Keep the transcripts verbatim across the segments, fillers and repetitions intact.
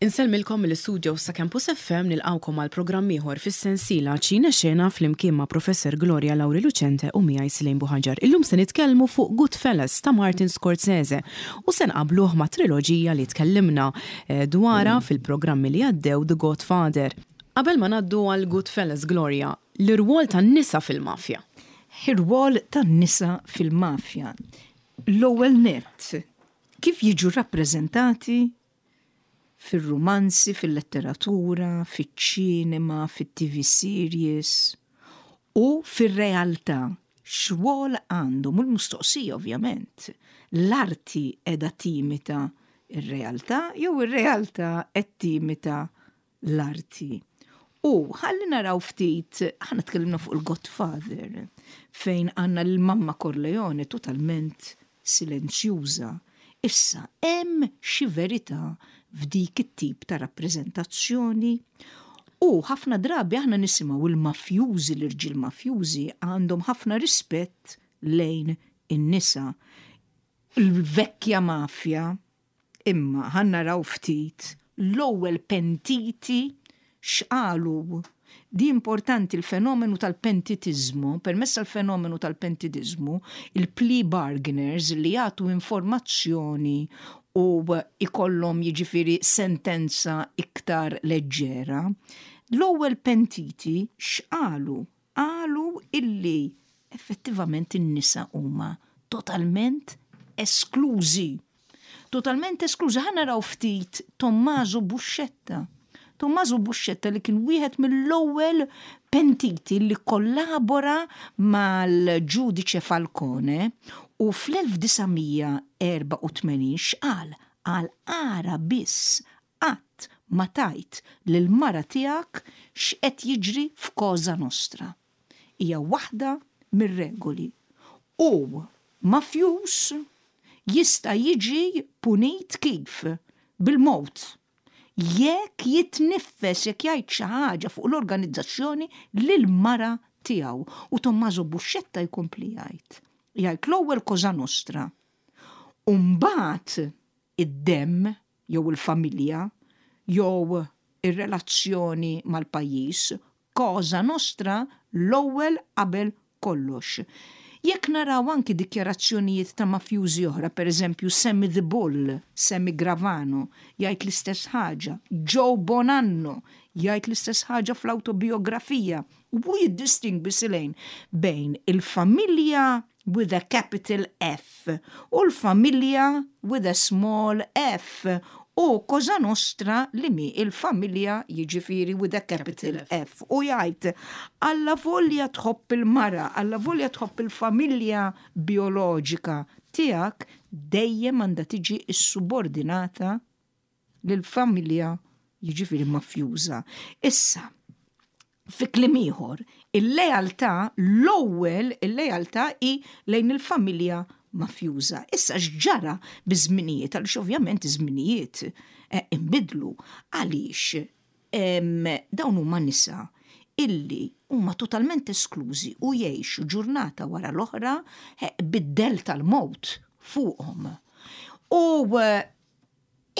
Insellmilkom mill-istudio sa' Campus F M, nilqgħukom għal programm ieħor fis-sensiela Ċina Xena flimkien ma' Professor Gloria Lauri Lucente u miegħi Silejn Buħaġar. Illum se nitkellmu fuq Goodfellas ta' Martin Scorsese u se nqabluh ma' triloġija li tkellimna eh, dwarha fil-programmi li għaddew, The Godfather. Qabel ma ngħaddu għal Goodfellas, Gloria, l-irwol tan-nisa fil-mafja. Ir-rwol tan-nisa fil-mafja. L-ewwel net, kif jiġu rappreżentati fil-romanzi, fil-letteratura, fil-ċinema, fil-T V series u fil-realtà, x'rwol għandhom? U l-mistoqsija ovvjament, l-arti qiegħda timita ir-realtà jew ir-realtà qed timita l-arti? U ħalli naraw ftit, aħna tkellimna fuq il-Godfather, fejn għandna l-Mamma Corleone totalment silenzjuża. Issa, hemm xi verità f'dik it-tip ta' rappreżentazzjoni? U ħafna drabi aħna nisimgħu il-mafjużi, l-irġiel mafjużi għandhom ħafna rispett lejn in-nisa. Il-vecchia mafja, imma ħa naraw ftit l-ewwel pentiti x'qalu. Di importanti, il-fenomenu tal-pentitizmu, permezz tal-fenomenu tal-pentitizmu, il-plea bargainers li jagħtu informazzjoni u ikollhom jiġifieri sentenza iktar leġġera. L-ewwel pentiti x'qalu? Qalu illi effettivament in-nisa huma totalment esklużi. Totalment esklużi. Ħa naraw ftit Tommaso Buscetta. Tommaso Buscetta li kien wieħed mill-ewwel pentiti li kollabora mal-ġudice Falcone u fl-elf disa' mija erbgħa u tmenin x'qal? Qal, ara biss qatt ma tgħid lil-mara tiegħek x'qed jiġri f'Koza Nostra. Hija waħda mir-regoli. U mafjus jista' jiġi punit kif? Bil-mowt. Jekk jitniffes, jekk jgħid xi ħaġa fuq l-organizzazzjoni lil mara tiegħu. U Tommaso Buscetta jkompli jgħid. Jgħid l-ewwel Cosa Nostra. U mbagħad id-demm jew il-familja jew ir-relazzjoni mal-pajjiż, Cosa Nostra l-ewwel qabel kollox. Jekk naraw anki dikjarazzjonijiet ta' mafjużi oħra, per eżempju Sammy the Bull, Sammy Gravano, jgħid l-istess ħaġa, Joe Bonanno jgħid l-istess ħaġa fl-autobiografija, u jiddistingwi silejn bejn il-familja with a capital F u l-familja with a small f u Cosa Nostra li mi il-familja jiġifieri with a capital F. U jgħid, alla volja tħobb il-mara, alla volja tħobb il-familja bioloġika tiegħek, dejjem għandha tiġi subordinata lill-familja jiġifieri mafjuża. Issa, fi kliem ieħor, il-lealtà, l-ewwel il-lealtà hi lejn il-familja mafjuża. Issa x'ġara biż-żminijiet, għaliex ovvjament iż-żminijiet eh, imbidlu, għaliex dawn huma nisa illi huma totalment esklużi u jgħixu ġurnata wara l-oħra eh, bid-dell tal-mowt fuqhom. U eh,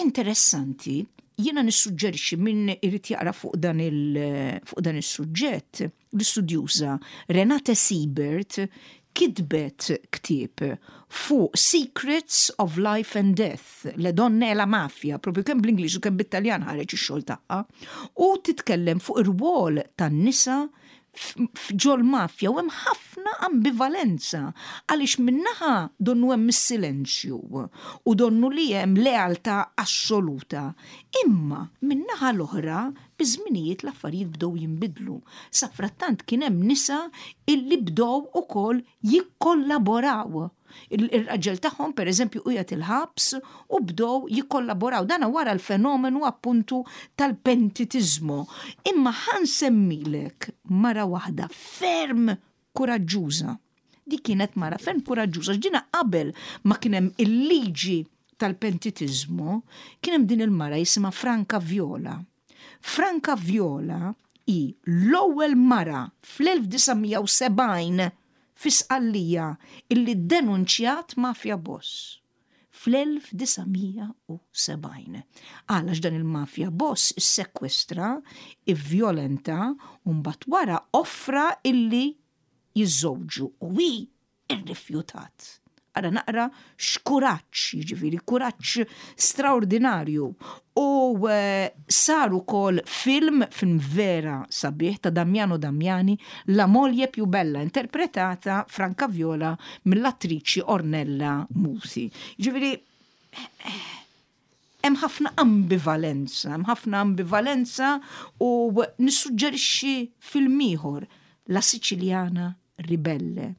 interessanti, jiena nissuġġerixxi min irid jaqra fuq dan il fuq dan is-suġġett, l-istudjuża Renate Siebert kitbet ktieb fuq Secrets of Life and Death, Le donne e la mafia, propju kemm bl-Ingliż u kemm bit-Taljan ħareġ ix-xogħol tagħha, u titkellem fuq ir-rwol tan-nisa ġol mafja u hemm ħafna ambivalenza għaliex min-naħa donnu hemm is-silenzju u donnu li hemm lealtà assoluta. Imma min-naħa l-oħra biż-żminijiet l-affarijiet bdew jinbidlu. Safrattant kien hemm nisa illi bdew ukoll jikkollaboraw. Il-raġel tagħhom per eżempju qiegħed il-ħabs u bdew jikkollaboraw. Dana wara l-fenomenu appuntu tal-pentitizmu. Imma ħa nsemmilek mara waħda ferm kuraġġuża. Di kienet mara ferm kuraġġuża. Ġina qabel ma kien hemm il-liġi tal-pentitizmu, kien hemm din il-mara jisimha Franca Viola. Franca Viola hi l-ewwel mara fl-elf disa' mija u sebgħin fi Sqallija illi denunċjat mafia boss. fl-elf disa' mija u sebgħin. Għalax dan il-mafia boss sekwestra, ivvjolenta, u mbagħad wara offra illi jiżżewġu u hi irrifjutat. Ara naqra x'kuraġġ, jiġifieri kuraġġ straordinarju. U eh, sar ukoll film, film vera sabiħ ta' Damiano Damiani, La moglie più bella, interpretata Franca Viola mill-attriċi Ornella Muti. Jiġifieri, hemm ħafna ambivalenza, hemm ħafna ambivalenza u nissuġġerixxi film ieħor, La Siciliana Ribelle,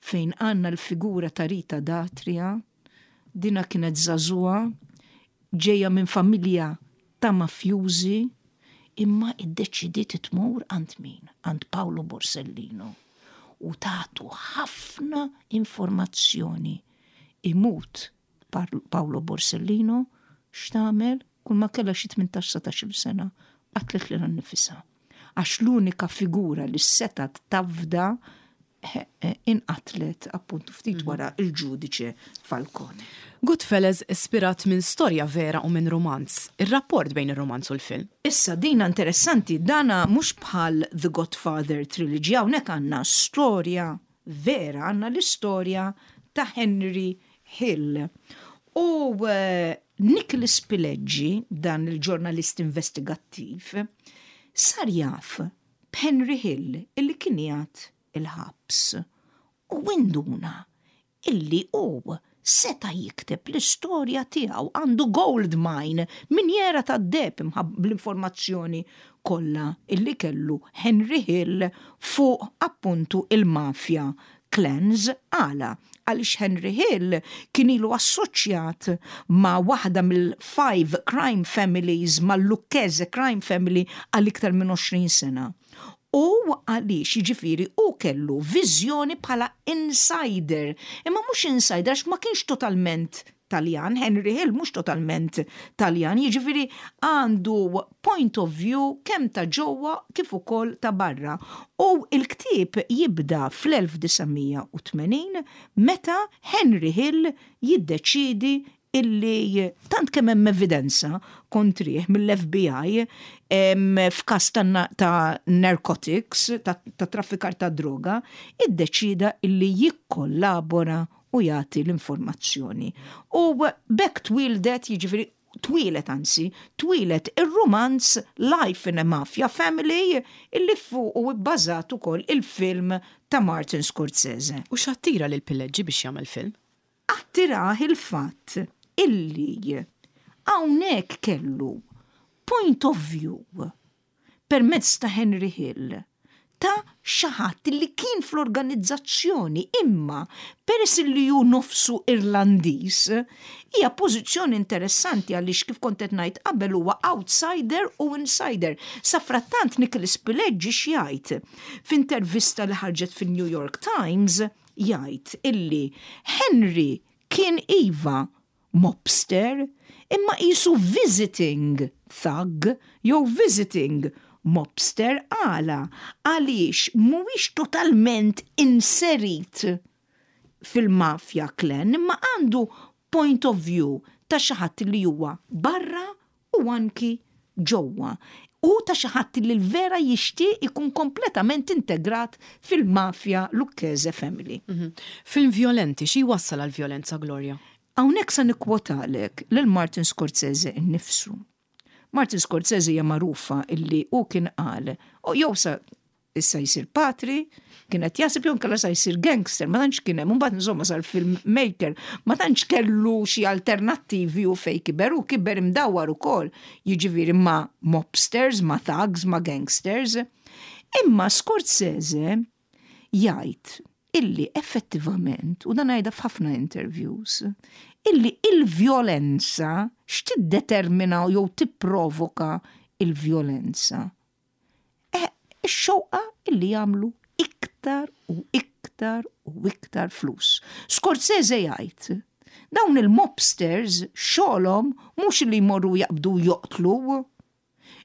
fejn għandna l-figura ta' Rita D'Atria. Dina kienet żagħżugħa, ġeja minn familja ta' mafjużi, imma iddeċidiet tmur għand min? Għand Paolo Borsellino. U tatu ħafna informazzjoni. Imut Paolo Borsellino, x'tagħmel? Kull ma kellha xi tmintax satax-il sena, qatlet lilha nnifisha. Għax l-unika figura li setat tafda inqatlet appuntu ftit mhm. wara il-ġudiċe Falcone. Goodfellas ispirat minn storja vera u minn romanz. Ir-rapport bejn ir-romanz u l-film. Issa dina interessanti, dana mhux bħal The Godfather Trilogy, hawnhekk għandna storja vera, għandna l-istorja ta' Henry Hill. U uh, Nicholas Pileggi, dan il-ġurnalist investigattiv, sar jaf b'Henry Hill illi kien jgħat il-ħabs u induna illi hu seta jikteb l-istorja tiegħu, għandu gold mine, minjera ta' deheb bl-informazzjoni kollha illi kellu Henry Hill fuq appuntu il-mafja clans. Għala? Għaliex Henry Hill kien ilu assoċjat ma' waħda mill-five crime families, mal-Lucchese crime family, għal iktar minn għoxrin sena. U għaliex, jiġifieri, u kellu viżjoni bħala insider. Imma mhux insider għax ma kienx totalment Taljan, Henry Hill mhux totalment Taljan, jiġifieri għandu point of view kemm ta' ġewwa kif ukoll ta' barra. U il-ktieb jibda fl-elf disa' mija u tmenin meta Henry Hill jiddeċidi illi tant kemm hemm evidenza kontrih mill-F B I f'każ ta', ta narcotics, ta', ta traffikar ta' droga, iddeċida illi jikkollabora u jagħti l-informazzjoni. U b'hekk twildet, jiġifieri twieled anzi, twieled ir-romanz Life in a Mafia Family illi fuq u bbażat ukoll il-film ta' Martin Scorsese. U x'attira lil Pileggi biex jagħmel film? Attirah il-fatt illi hawnhekk kellu point of view permezz ta' Henry Hill ta' xi ħadd li kien fl-organizzazzjoni, imma peress li hu nofsu Irlandiż, hija pożizzjoni interessanti għaliex, kif kont qed ngħid qabel, huwa outsider u insider. Safrattant Nicholas Pileggi x'jgħid? F'intervista li ħarġet fin-New York Times jgħid illi Henry kien iva mobster, imma qisu visiting thug jew visiting mobster. Għala? Għaliex mhuwiex totalment inserit fil-mafja clan, imma għandu point of view ta' xi ħadd li huwa barra u anki ġewwa. U ta' xi ħadd li l-vera jixtieq ikun kompletament integrat fil-mafja Lucchese family. Mm -hmm. Film violenti, xi wassal għal violenza, Gloria? Hawnhekk sa nikkwotalek lil Martin Scorsese innifsu. Martin Scorsese hija magħrufa illi hu kien qal, u jew sa issa jsir patri, kienet jaħseb, jew inkella sa jsir gangster, ma tantx kien hemm, mbagħad insomma sar filmmaker, ma tantx kellu xi alternattivi u fej kiber, u kiber imdawwar ukoll, jiġifieri ma' mobsters, ma' thugs, ma' gangsters. Imma Scorsese jgħid illi effettivament, u dan għajda f'ħafna interviews, illi il-vjolenza x'tiddetermina jew tipprovoka il-vjolenza? Eh, ix-xewqa illi jagħmlu iktar u iktar u iktar flus. Scorsese jgħid, dawn il-mobsters xogħolhom mhux li jmorru jaqbdu joqtlu.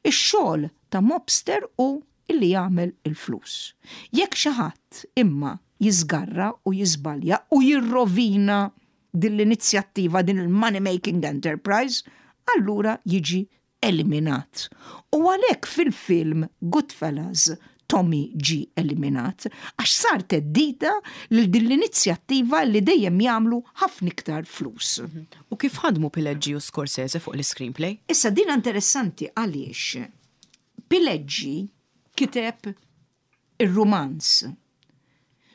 Ix-xogħol ta' mobster hu illi jagħmel il-flus. Jekk xi ħadd imma jiżgarra u jiżbalja u jirrovina din l-inizjattiva, din il-money making enterprise, allura jiġi eliminat. U għalhekk fil-film Goodfellas Tommy ġi eliminat, għax sar theddida lil din l-inizjattiva li dejjem jagħmlu ħafna iktar flus. U kif ħadmu Pileggi u Scorsese fuq l-screenplay? Issa din interessanti għaliex Pileggi kiteb ir-rumanz.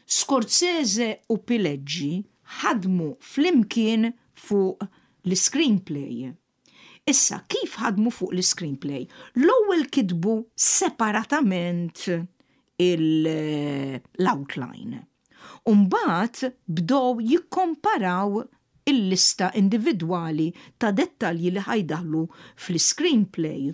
Scorsese u Pileggi ħadmu flimkien fuq l-screenplay. Issa, kif ħadmu fuq l-screenplay? L-ewwel kitbu separatament l-outline. Umbagħad bdew jikkomparaw il-lista individwali ta' dettalji li ħa jdaħħlu fl-screenplay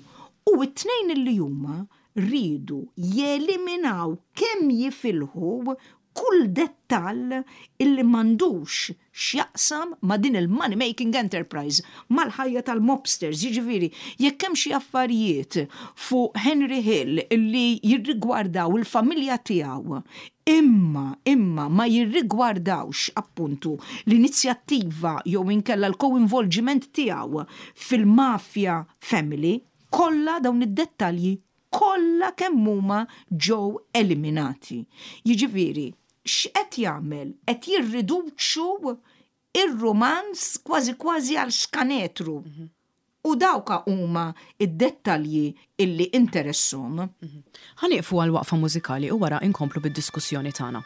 u it-tnejn li huma rridu jeliminaw kemm jifilħu kull dettall illi m'għandux x'jaqsam ma' din il-money making enterprise, mal-ħajja tal-mobsters, jiġifieri, jekk hemm xi affarijiet fuq Henry Hill illi jirrigwardaw il-familja tiegħu, imma imma ma jirrigwardawx appuntu l-inizjattiva jew inkella l-coinvolgiment tiegħu fil-mafia family, kollha dawn id-dettalji kollha kemm huma ġew eliminati. Jiġifieri, x'qed jagħmel? Qed jirriduċu ir-romanz kważi kważi għal skanetru. U dawka huma id-dettalji illi interessahom. Ħa nieqfu għal waqfa mużikali u wara inkomplu bid-diskussjoni tagħna.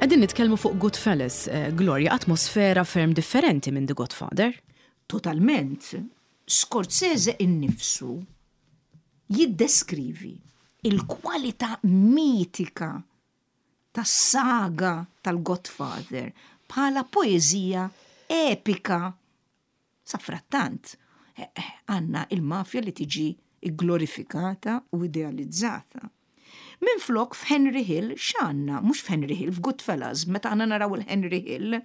Qegħdin nitkellmu fuq Goodfellas, eh, Gloria, atmosfera ferm differenti minn The Godfather. Totalment. Scorsese innifsu jiddeskrivi il-kwalità mitika tas-saga tal-Godfather bħala poeżija epika. Safrattant, eh, eh, għandna il-mafja li tiġi glorifikata u idealizzata. Min flok f'Henry Hill, x'għandna, mhux f'Henry Hill, f'Goodfellas, meta għandna naraw il-Henry Hill,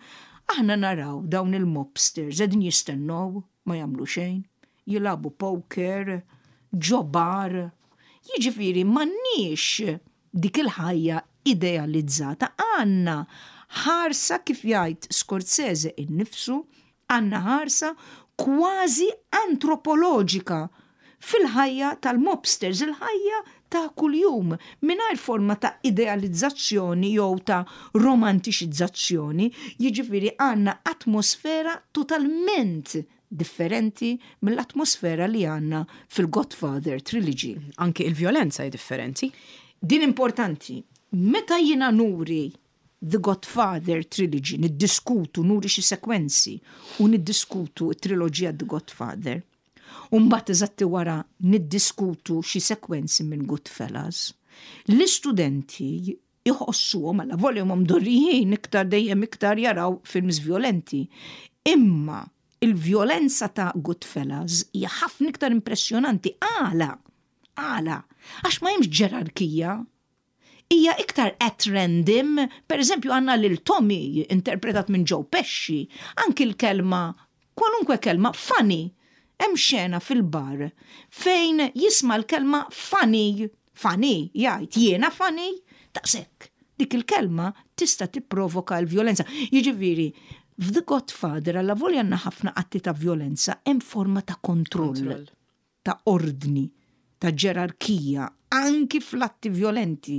aħna naraw dawn il-mobsters, qegħdin jistennew, ma jagħmlu xejn, jilagħbu poker, ġo bar. Jiġifieri m'għandniex dik il-ħajja idealizzata, għandna ħarsa kif jgħid Scorsese innifsu, għandna ħarsa kważi antropoloġika fil-ħajja tal-mobsters, il-ħajja ta' kuljum, mingħajr forma ta' idealizzazzjoni jew ta' romantiċizzazzjoni, jiġifieri għandna atmosfera totalment differenti mill-atmosfera li għandna fil-Godfather Trilogy. Anki il-vjolenza hi differenti. Din importanti. Meta jiena nuri The Godfather Trilogy, niddiskutu, nuri xi sekwenzi u niddiskutu t-triloġija The Godfather, u mbagħad eżatti wara niddiskutu xi sekwenzi minn Goodfellas, l-istudenti jħossuhom għalla volja huma mdorrijin iktar dejjem iktar jaraw films violenti. Imma il-vjolenza ta' Goodfellas hija ħafna iktar impressjonanti. Għala, għala, għax ma hemmx ġerarkija. Hija iktar at random, per eżempju għandna lil Tommy interpretat minn Joe Pesci, anki l-kelma, kwalunkwe kelma funny. Hemm xena fil-bar fejn jisma' l-kelma funny, funny, jgħid jiena funny, daqshekk. Dik il-kelma tista' tipprovoka l-vjolenza. Jiġifieri, f'The Godfather alla volja għandna ħafna atti ta' vjolenza, hemm forma ta' kontroll, Kontroll. ta' ordni, ta' ġerarkija. anki fl-atti violenti.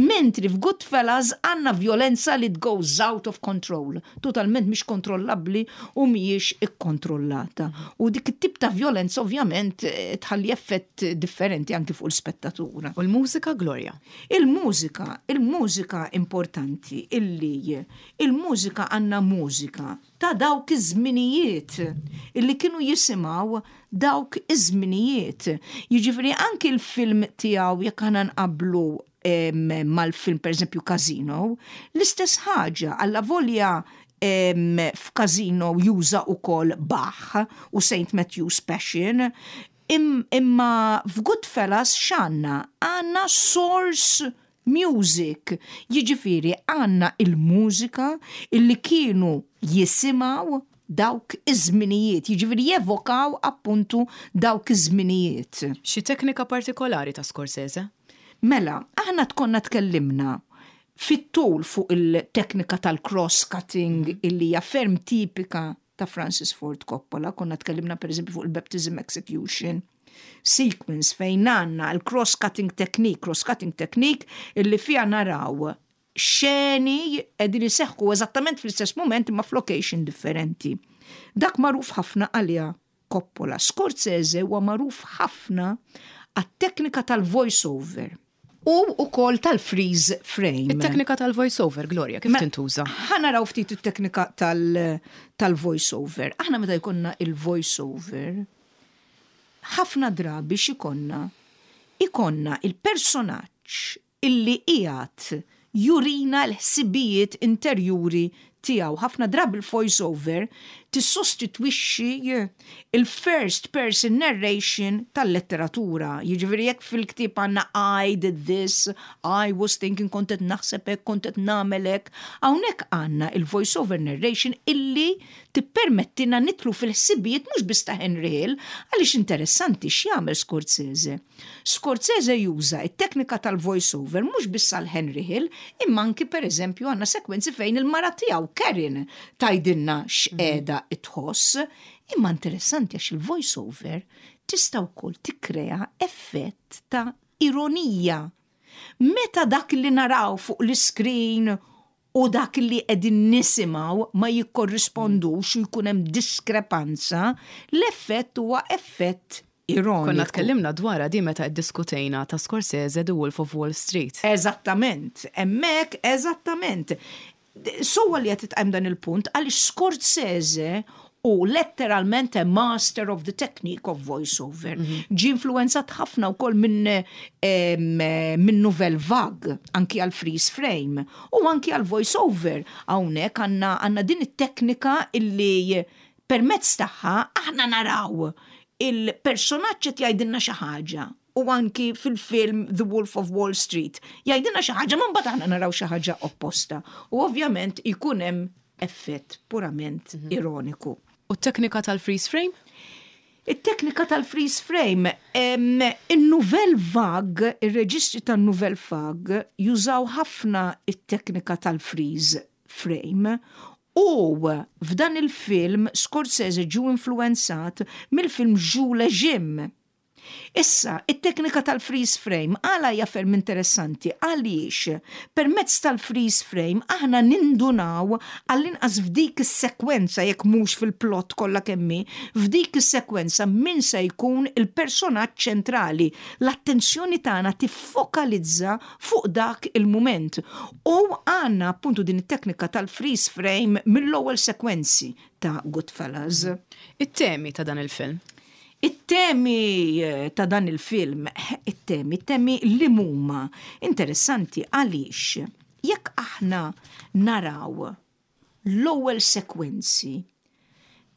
Mentri f'Goodfellas għandna violenza li goes out of control, totalment mhix kontrollabbli u mhijiex ikkontrollata. U dik it-tip ta' violenza ovvjament eh, tħalli effett differenti anki fuq il-spettatura. U l-mużika, Gloria? Il-mużika, il-mużika importanti illi il-mużika, għandna mużika ta' dawk iż-żminijiet illi kienu jisimgħu dawk iż-żminijiet. Jiġifieri anki l-film tiegħu, jekk aħna nqablu mal-film, per eżempju, Casino, l-istess ħaġa, alla volja f'Casino juża ukoll Bach u Saint Matthew's Passion, imma f'Goodfellas x'għandna? Għandna source music. Jiġifieri għandna il-mużika illi kienu jisimgħu dawk iż-żminijiet, jiġifieri jevokaw appuntu dawk iż-żminijiet. Xi teknika partikolari ta' Scorsese? Mela, aħna tkonna tkellimna fit-tul fuq il-teknika tal-cross-cutting illi hija ferm tipika ta' Francis Ford Coppola, konna tkellimna per eżempju fuq il-Baptism Execution sequence fejn għandna il-cross-cutting technique, cross-cutting technique illi fija naraw xeni qegħdin iseħħu eżattament fl-istess moment imma f'location differenti. Dak magħruf ħafna għalija Coppola. Scorsese huwa magħruf ħafna għat-teknika tal-voice-over u ukoll tal-freeze frame. Il-teknika tal-voice-over, Gloria, kif tintuża? Ħa naraw ftit it-teknika tal-voice-over. Aħna meta jkollna il-voice-over, ħafna drabi x'ikollna? Ikollna il-personaġġ illi qiegħed jurina l-ħsibijiet interjuri tiegħu. Ħafna drabi il-voice-over tissostitwixxi il-first person narration tal-letteratura. Jiġifieri jekk fil-ktieb għandna "I did this, I was thinking", kont qed naħseb hekk, kont qed nagħmel hekk. Hawnhekk għandna il-voice-over narration illi tippermettina nidħlu fil-ħsibijiet mhux biss ta' Henry Hill, għaliex interessanti x'jagħmel Scorsese. Scorsese juża it-teknika tal-voice-over mhux biss għal Henry Hill, imma anki, per eżempju, għandna sekwenzi fejn il-mara tiegħu Karen tgħidilna x'qiegħda tħoss, imma interessanti għax il-voice-over tista' wkoll tikkrea effett ta' ironija. Meta dak li naraw fuq l-screen u dak li qegħdin nisimgħu ma jikkorrispondux u jkun hemm diskrepanza, l-effett huwa effett ironiku. Konna tkellimna dwarha di meta iddiskutejna ta' Scorsese The Wolf of Wall Street. Eżattament, hemmhekk, eżattament. Sewwa li qed tqajjem dan il-punt għaliex Scorsese hu letteralment a master of the technique of voice-over. Ġi influenzat ħafna wkoll minn min Nouvelle Vague, anki għal freeze frame, u anki għal voice-over. Hawnhekk għandna għandna din it-teknika illi permezz tagħha aħna naraw il-personaġġ qed jgħidilna xi ħaġa u anki fil-film The Wolf of Wall Street jgħidilna xi ħaġa, ma mbagħad aħna naraw xi ħaġa opposta. U ovvjament ikun hemm effett purament ironiku. U t-teknika tal-freeze frame? Il-teknika tal-freeze frame, il-Nouvelle Vague, il-reġistri tal-Nouvelle Vague jużaw ħafna il-teknika tal-freeze frame u f'dan il-film Scorsese ġu influenzat mill-film Jules et Jim. Issa, it-teknika tal-freeze frame għala hija ferm interessanti? Għaliex permezz tal-freeze frame aħna nindunaw, għall-inqas f'dik is-sekwenza, jekk mhux fil-plot kollha kemm hi, f'dik is-sekwenza min se jkun il-personaġġ ċentrali. L-attenzjoni tagħna tiffokalizza fuq dak il-mument. U għandna appuntu din it-teknika tal-freeze frame mill-ewwel sekwenzi ta' Goodfellas. It-temi ta' dan il-film? It-temi eh, ta' dan il-film, it-temi, it-temi li huma interessanti għaliex jekk aħna naraw l-ewwel sekwenzi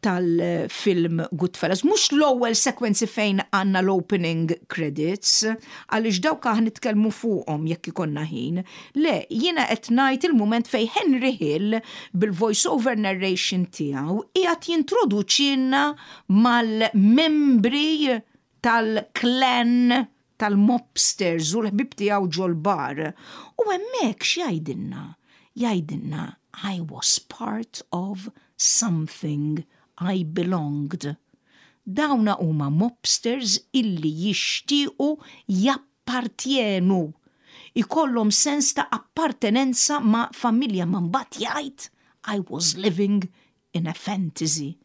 tal-film Goodfellas, mhux l-ewwel sekwenzi fejn għandna l-opening credits, għaliex dawk aħna nitkellmu fuqhom jekk ikollna ħin. Le, jiena qed ngħid il-mument fejn Henry Hill bil-voice-over narration tiegħu qiegħed jintroduċina mal-membri tal-clan tal-mobsters u l-ħbib tiegħu ġol-bar. U hemmhekk x'jgħidilna? Jgħidilna, "I was part of something, I belonged." Dawna huma mobsters illi jixtiequ Jappartjenu. Ikollhom sens ta' appartenenza ma' familja, ma mbagħad jgħid, "I was living in a fantasy."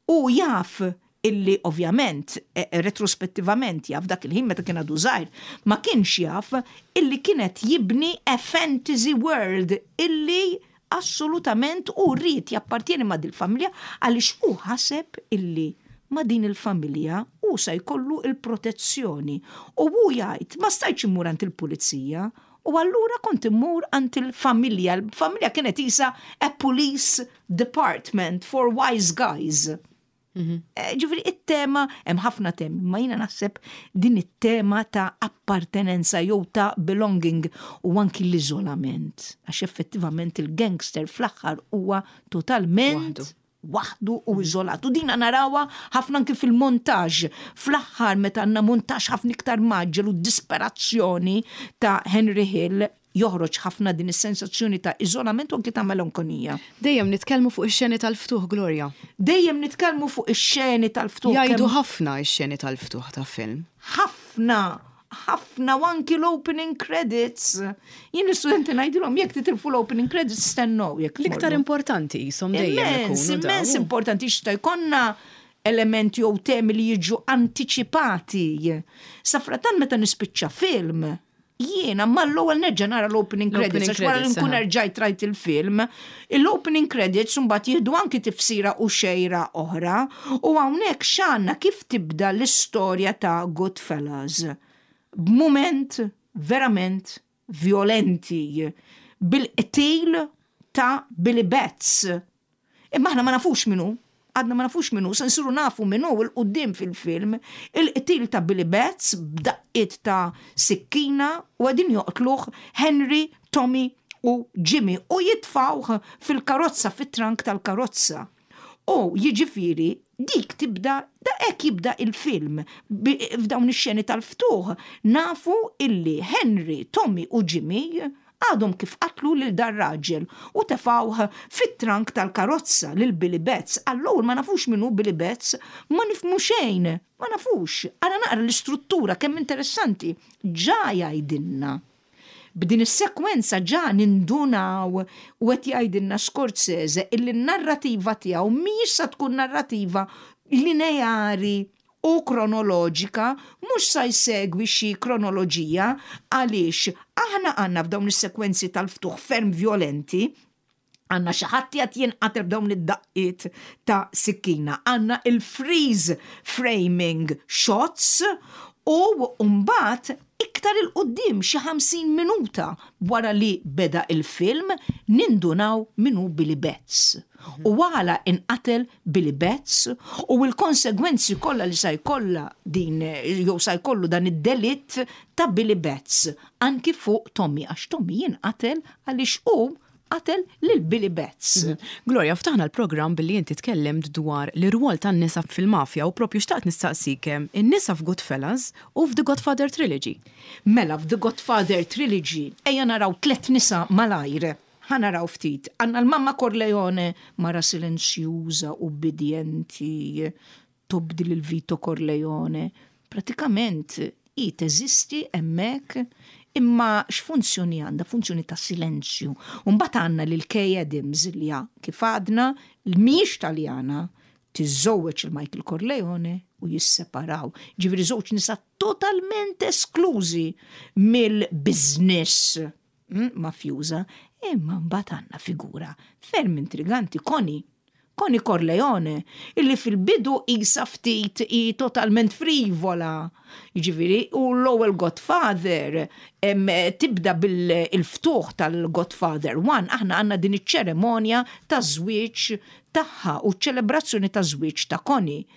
U jaf illi ovvjament, e, e, retrospettivament jaf, dak il-ħin meta kien għadu żgħir, ma kienx jaf illi kienet jibni a fantasy world illi assolutament u rrid jappartieni ma' dil-familja għaliex u ħaseb illi ma' din il-familja u sa jkollu il-protezzjoni. U hu jgħid, "Ma stajtx immur għand il-pulizija, u allura kont immur għand il-familja." Il-familja kienet isa a police department for wise guys. Eh, Ġifieri, it-tema, hemm ħafna temi, ma jiena naħseb din it-tema ta' appartenenza jew ta' belonging u anki l-iżolament. Għax effettivament il-gangster fl-aħħar huwa totalment waħdu. Waħdu u iżolat. U dina narawha ħafna anki fil-montaġ. Fl-aħħar meta għandna montaġ ħafna iktar mgħaġġel u disperazzjoni ta' Henry Hill, joħroġ ħafna din is-sensazzjoni ta' iżolament u anki ta' melankonija. Dejjem nitkellmu fuq ix-xeni tal-ftuħ, Gloria. Dejjem nitkellmu fuq ix-xeni tal-ftuħ. Jgħidu kemm- ħafna ix-xeni tal-ftuħ ta' film. Ħafna, ħafna, u anki l-opening credits. Jien l-istudenti ngħidilhom, jekk titilfu l-opening credits, stennew jekk L-iktar tmorru. importanti jisom dejjem Immens, ikunu immens dawn. importanti xta jkollna elementi jew temi li jiġu antiċipati. Safratan meta nispiċċa film, jiena mal-ewwel nerġa' nara l-opening L-opening credits, għax wara li credits, nkun aha. erġajt rajt il-film, l-opening credits mbagħad jieħdu anki tifsira u xejra oħra, u hawnhekk x'għandna, kif tibda l-istorja ta' Goodfellas? B'mument verament violenti, bil-qtil ta' Billy Batts. Imma aħna ma nafux minnu, għadna ma nafux minnu, se nsiru nafu minnu 'il quddiem fil-film, il-qtil ta' Billy Batts b'daqqiet ta' sikkina, u qegħdin joqtluh Henry, Tommy u Jimmy u jitfawh fil-karozza, fit-trunk tal-karozza. U jiġifieri dik tibda, da hekk jibda il-film. Bi- f'dawn ix-xeni tal-ftuħ nafu illi Henry, Tommy u Jimmy għadhom kif qatlu lil dar raġel u tefawh fit-trunk tal-karozza lil Billy Batts. Allura ma nafux minnu Billy Batts, ma nifhmu xejn, ma nafux. Ara naqra l-istruttura kemm interessanti. Ġa jgħidilna. B'din is-sekwenza ġa nindunaw u qed jgħidilna Scorsese illi n-narrativa tiegħu mhijiex sa tkun narrativa lineari u kronoloġika, mhux sa jsegwi xi kronoloġija, għaliex aħna għandna f'dawn is-sekwenzi tal-ftuħ ferm violenti għandna xi ħadd qed jinqatel b'dawn id-daqqiet ta' sikkina, għandna il-freeze framing shots u mbagħad iktar 'il quddiem, xi ħamsin minuta wara li beda il-film, nindunaw minu Billy Batts. U għala inqatel Billy Batts u l-konsegwenzi kollha li sa jkollha din jew sa jkollu dan id-delitt ta' Billy Batts anki fuq Tommy, għax Tommy jinqatel għaliex hu qatel lil Billy Batts. Gloria, ftaħna l-programm billi inti tkellimt dwar l-irwol tan-nisa fil-mafja u propju xtaqt nistaqsik in-nisa f'Goodfellas u f'The Godfather Trilogy. Mela, f'The Godfather Trilogy, ejja naraw tlet nisa malajr. Ħa naraw ftit. Għandna l-Mamma Corleone, mara silenzjuża, ubbidjenti, tobdi lil Vito Corleone. Pratikament, i teżisti hemmhekk, imma x'funzjoni għandha? Funzjoni ta' silenzju. Mbagħad għandna lil Kay Adams li ha, kif għadna, l-miex Taljana, tiżżewweġ il-Michael Corleone u jisseparaw. Ġifieri żewġ nisa totalment esklużi mill-business mm, mafjuża, imma mbagħad għandna figura ferm intriganti, Connie. Connie Corleone, illi fil-bidu isa ftit i totalment frivola. Jiġifieri, u l-ewwel Godfather, em, tibda bil-ftuħ tal-Godfather one, aħna għandna din iċ-ċeremonja ta' żwieġ tagħha u ċelebrazzjoni ta' żwieġ ta' Connie.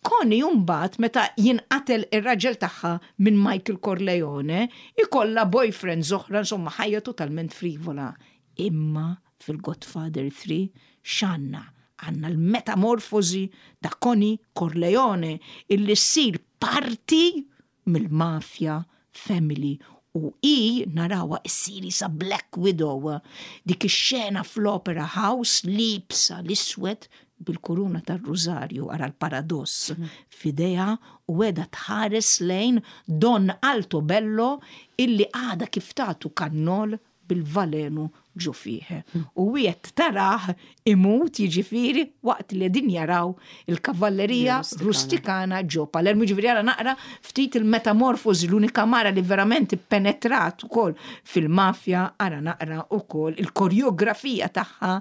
Connie mbagħad meta jinqatel ir-raġel tagħha minn Michael Corleone, ikollha boyfriend oħra, insomma ħajja totalment frivola. Imma fil-Godfather three x'għandna? Għandna l-metamorfosi ta' Connie Corleone illi ssir parti mill-mafja family u i narawha issir sa Black Widow. Dik ix-xena fl-Opera House, liebsa l-iswed. bil-kuruna tar-Rużarju, ara l-paradoss, f'idejha u qiegħda tħares lejn Don Altobello illi għada kif tatu kannol bil-valenu ġo fih. U wieħed tarah imut, jiġifieri, waqt li din jaraw il-kavallerija rustikana ġo Palermo. Jiġifieri ara naqra ftit il-metamorfosi, l-unika mara li verament penetrat ukoll fil-mafja, ara naqra ukoll il-koreografija tagħha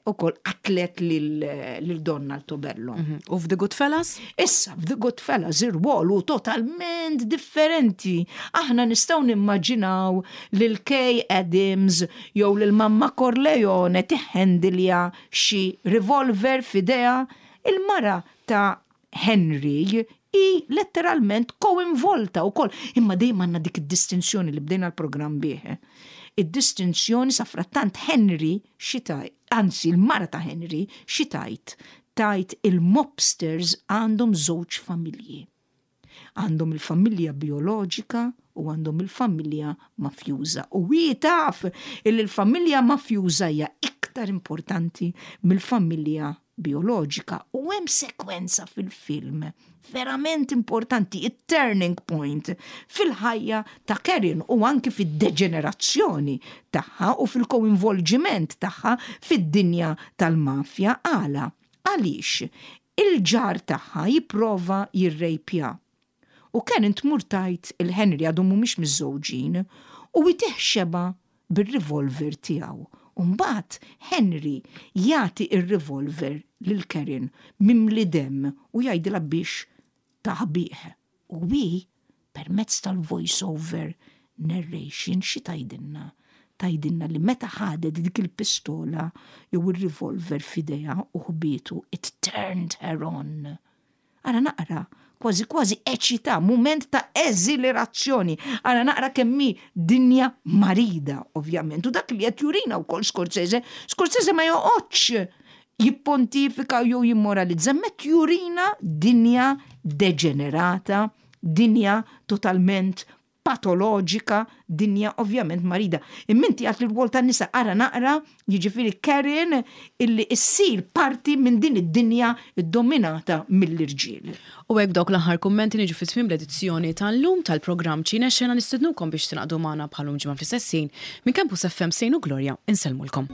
ukoll qatlet lil Don Altobello. Mhm. U f'The Goodfellas? Issa, f'The Goodfellas ir-rwol hu totalment differenti. Aħna nistgħu nimmaġinaw lil Kay Adams jew lil Mamma Corleone tiħendilja xi revolver f'idejha. Il-mara ta' Henry hi letteralment koinvolta ukoll. Imma dejjem għandna dik id-distinzjoni li bdejna l-programm bih. Id-distinzjoni sa frattant Henry xi tgħid, anzi il-mara ta' Henry xi tgħid, tgħid il-mobsters għandhom żewġ familji. Għandhom il-familja bioloġika u għandhom il-familja mafjuża. U hi taf il il-familja mafjuża hija iktar importanti mill-familja bioloġika. U hemm sekwenza fil-film verament importanti, il-turning point fil-ħajja ta' Karen u anki fid-deġenerazzjoni tagħha u fil-koinvolġiment tagħha fid-dinja tal-mafja. Għala? Għaliex il-ġar tagħha jipprova jirrejpja. U Karen tmur tgħid lil Henry, għadhom mhumiex miżżewġin, u jtih xebgħa bil-revolver tiegħu. Umbagħad Henry jagħti il-revolver lil Karen mimli dem u jgħidilha biex taħbih. U hi permezz tal-voice over narration xi tgħidilna? Tgħidilna li meta ħadet dik il-pistola jew il-revolver f'idejha u ħbietu, it turned her on. Ara naqra, kważi kważi eċita, moment ta' eżilerazzjoni. Ara naqra kemm hi dinja marida, ovvjament. U dak li qed jurina wkoll Scorsese, Scorsese ma joqgħodx jippontifika jew jimmoralizza, met jurina dinja deġenerata, dinja totalment patoloġika, dinja ovvjament marida. Imma inti għedt li r-rwol tan-nisa, ara naqra, jiġifieri Karen illi issir parti minn din id-dinja dominata mill-irġiel. U hekk dawk l-aħħar kummenti niġu fi tmiem l-edizzjoni tal-lum tal-programm Ċine Xena. Nistednukom biex tingħaqdu magħna bħal-lum ġimgħa fl-istess ħin. Minn Campus F M, Sejnu Gloria, insellmulkom.